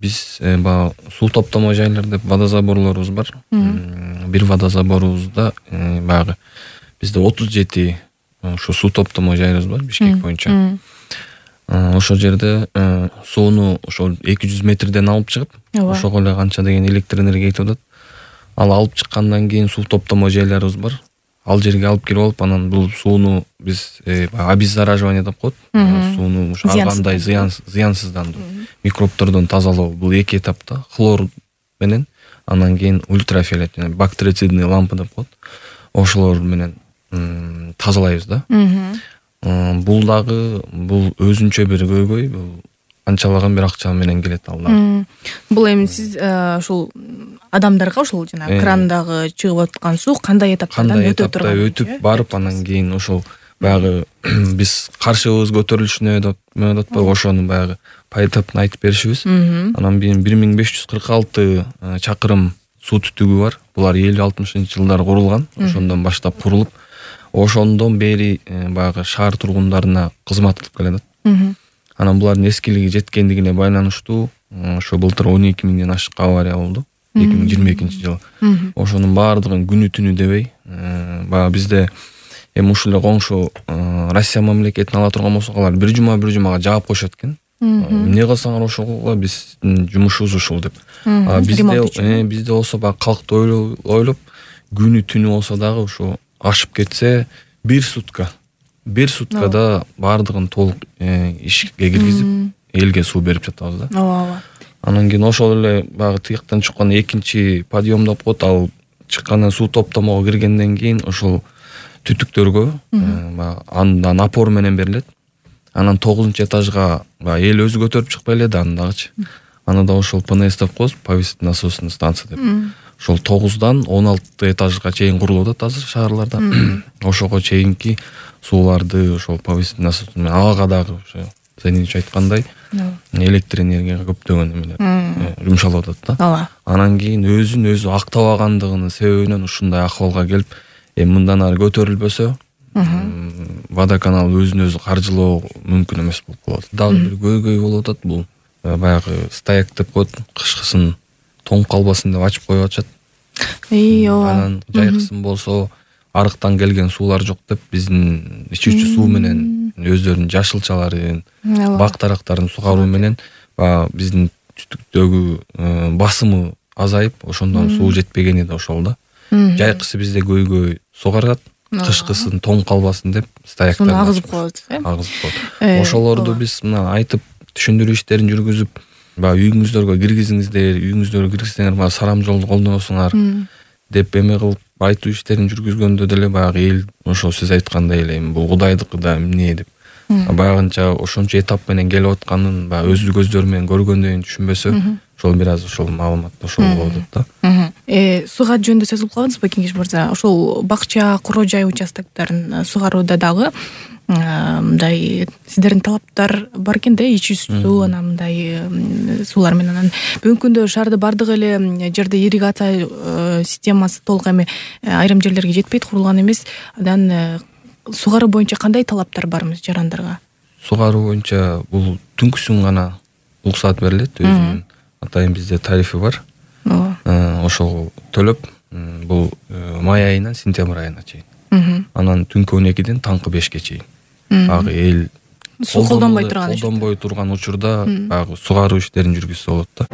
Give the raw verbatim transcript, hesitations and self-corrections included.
биз баягы суу топтомо жайлар деп водозаборлорубуз бар. Бир водозаборубузда баягы бизде отуз жети ошо суу топтомо жайыбыз бар Бишкек боюнча. Ошол жерде сууну ошол эки жүз метрден алып чыгып, ошого эле канча деген электр энергия кетип атат. Ал алып чыккандан кийин суу топтомо жайларыбыз бар. Ал жерге алып кирип алып, анан бул сууну биз обеззараживание деп коет. Сууну ар кандай зыянсыздандыруу, микробтордон тазалоо. Бул эки этапта хлор менен, анан кийин ультрафиолет жана бактерицидный лампа деп коет. Ошолор менен тазалайбыз да. Бул дагы бул өзүнчө бир көйгөй, бул канчалаган бир акча менен келет ал дагы. Бул эми сиз ушул адамдарга ошол жана крандагы чыгып аткан суу кандай этаптардан өтө турган? Кандай этапта өтүп барып, анан кийин ошол баягы биз каршыбыз көтөрүлүшүнө деп атпайбы, ошону баягы поэтапно айтып беришибиз. Анан бир миң беш жүз кырк алты чакырым суу түтүгү бар. Булар элүү алтымышынчы жылдары курулган. Ошондон баштап курулуп, ошондон бери баягы шаар тургундарына кызмат кылып келатат. Анан булардын эскилиги жеткендигине байланыштуу ошо былтыр он эки миңден ашык авария болду. эки миң жыйырма экинчи жылы. Ошонун баардыгын күнү түнү дебей, баягы бизде эми ушул эле коңшу Россия мамлекетин ала турган болсок, алар бир жума бир жумага жаап коюшат экен. Эмне кылсаңар ошол кылгыла, биздин жумушубуз ушул деп. Бизде бизде болсо баягы калкты ойлоп, күнү түнү болсо дагы ошо ашып кетсе бир сутка, бир суткада баардыгын толук ишке киргизип, элге суу берип жатабыз да. Ооба. Анан кийин ошол эле баягы тияктан чыккан экинчи подъем деп коет, ал чыккандан суу топтомого киргенден кийин ошол түтүктөргө баягы анда напор менен берилет. Анан тогузунчу этажга баягы эл өзү көтөрүп чыкпай эле да аны дагычы. Аны да ошол пэ эн эс деп коебуз, повесительный насосный станция деп. Ошол тогуздан он алты этажга чейин курулуп атат азыр шаарларда. Ошого чейинки сууларды ошол повесительный насос менен ага дагы ошо Зайнич айткандай электр энергияга көптөгөн эмелер жумшалып атат да. Анан кийин өзүн өзү актабагандыгынын себебинен ушундай акыбалга келип, эми мындан ары көтөрүлбөсө водоканал өзүн өзү каржылоо мүмкүн эмес болуп калат. Дагы бир көйгөй болуп атат, бул баягы стояк деп коет, кышкысын тоңуп калбасын деп ачып коюп атышат. Анан жайкысын болсо арыктан келген суулар жок деп биздин ичүүчү суу менен өздөрүнүн жашылчаларын, бак дарактарын сугаруу менен баягы биздин түтүктөгү басымы азайып, ошондон суу жетпегени да ошол да. Жайкысы бизде көйгөй сугарат, кышкысын тоң калбасын деп стояктарды агызып коет, э? Агызып коет. Ошолорду биз мына айтып түшүндүрүү иштерин жүргүзүп, баягы үйүңүздөргө киргизиңиздер, үйүңүздөргө киргизсеңер баягы сарам жолду колдоносуңар деп эме кылып айтуу иштерин жүргүзгөндө деле баягы эл ошо сиз айткандай эле эми бул кудайдыкы да эмне деп баягынча ошончо этап менен келип атканын баягы өз көздөрү менен көргөндөн түшүнбөсө, ошол бир аз ошол маалымат ошол болуп атат да. Э суга жөнүндө сөз кылып калдыңызбы, Кеңеш мырза? Ошол бакча, куроо жай участоктарын сугарууда дагы мындай сиздердин талаптар бар экен да, ичүү суу, анан мындай суулар менен. Анан бүгүнкү күндө шаарда бардык эле жерде ирригация системасы толук эми айрым жерлерге жетпейт, курулган эмес. Анан сугаруу боюнча кандай талаптар бармыз жарандарга? Сугаруу боюнча бул түнкүсүн гана уруксаат берилет, өзүнүн атайын бизде тарифи бар. Ошого төлөп, бул май айынан сентябрь айына чейин. Анан түнкү он экиден таңкы бешке чейин. Баягы эл суу колдонбой турган колдонбой турган учурда баягы сугаруу иштерин жүргүзсө болот да.